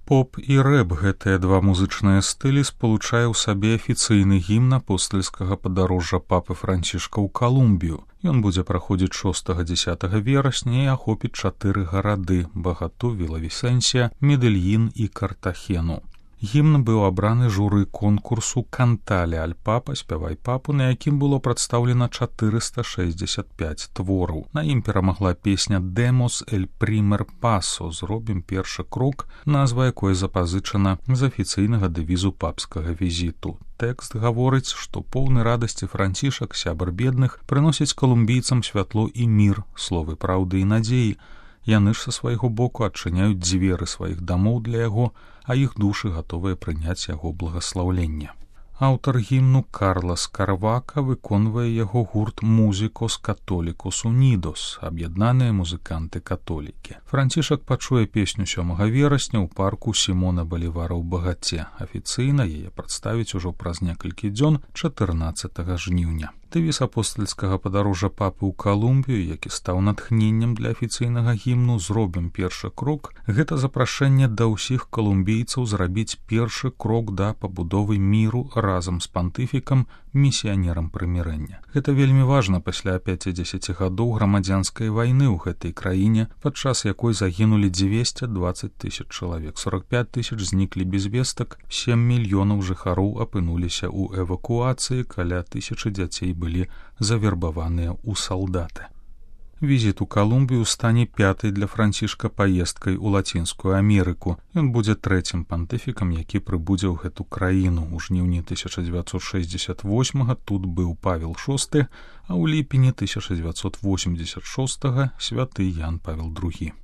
Поп і рэп гэтыя два музычныя стылі спалучае ў сабе афіцыйны гімн апостальскага падарожжа папы Францішка ў Калумбію. Ён будзе праходзіць 6-10 верасня і ахопіць 4 гарады: Багату, Віла-Вісенсія, Медельін і Картахену. Гімн быў абраны журы конкурсу «Кантале аль папа», «Спявай папу», на якім было прадстаўлена 465 твораў. На ім перамагла песня «Дэмос эль прімер пасо», «Зробім першы крок», назва якой запазычана з афіцыйнага дэвізу папскага візіту. Тэкст гаворыць, што поўны радасці Францішак, сябар бедных, прыносіць калумбійцам святло і мір, словы праўды і надзеі. Яны ж са свайго боку адчыняюць дзверы сваіх дамоў для яго, а іх душы гатовыя прыняць яго благаслаўленне. Аўтар гімну Карлас Карвака выконвае яго гурт «Музікос католікос унідос», аб'яднаныя музыканты-католікі. Францішак пачуе песню 7 верасня ў парку Сімона Балівара ў Багаце. Афіцыйна яе прадставіць ужо праз некалькі дзён 14 жніўня. Дэвіз апостальскага падарожжа папы ў Калумбію, які стаў натхненнем для афіцыйнага гімну «Зробім першы крок», гэта запрашэнне да ўсіх калумбійцаў зрабіць першы крок да пабудовы міру разам з пантыфікам, місіянерам прымірэння. Гэта вельмі важна пасля 50 гадоў грамадзянскай вайны ў гэтай краіне, падчас якой загінулі 220 000 чалавек, 45 000 зніклі без вестак, 7 мільёнаў жыхароў апынуліся ў эвакуацыі, каля 1000 дзяцей былі завербаваныя ў салдаты. Візіт у Калумбію стане 5-й для Францішка паездкай у Лацінскую Амерыку. Ён будзе 3-м пантыфікам, які прыбудзе ў гэту краіну. У жніўні 1968 тут быў Павел VI, а ў ліпені 1986 святы Ян Павел II.